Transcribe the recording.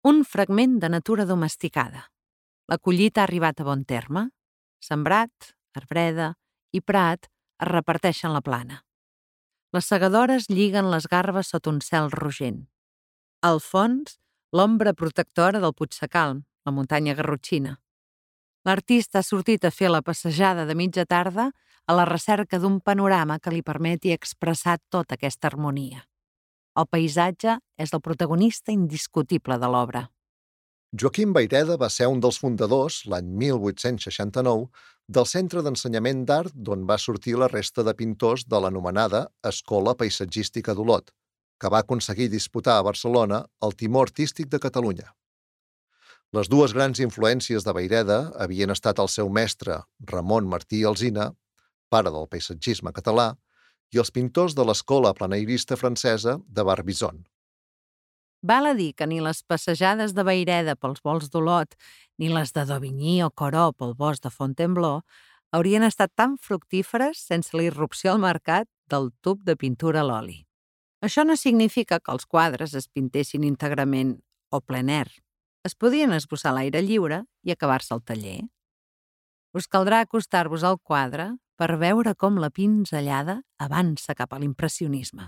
Un fragment de natura domesticada. La collita ha arribat a bon terme. Sembrat, arbreda i prat es reparteixen la plana. Les segadores lliguen les garbes sota un cel rogent. Al fons, l'ombra protectora del Puigsecalm, la muntanya garrotxina. L'artista ha sortit a fer la passejada de mitja tarda a la recerca d'un panorama que li permeti expressar tota aquesta harmonia. El paisatge és el protagonista indiscutible de l'obra. Joaquim Vayreda va ser un dels fundadors, l'any 1869, del Centre d'Ensenyament d'Art d'on va sortir la resta de pintors de l'anomenada Escola Paisatgística d'Olot, que va aconseguir disputar a Barcelona el Timó Artístic de Catalunya. Les dues grans influències de Vayreda havien estat el seu mestre, Ramon Martí Alsina, pare del paisatgisme català, i els pintors de l'escola planeirista francesa de Barbizon. Val a dir que ni les passejades de Vayreda pels volts d'Olot ni les de Dauvigny o Corot pel bosc de Fontainebleau haurien estat tan fructíferes sense la irrupció al mercat del tub de pintura a l'oli. Això no significa que els quadres es pintessin íntegrament o plein air. Es podien esbossar a l'aire lliure i acabar-se al taller. Us caldrà acostar-vos al quadre per veure com la pinzellada avança cap a l'impressionisme.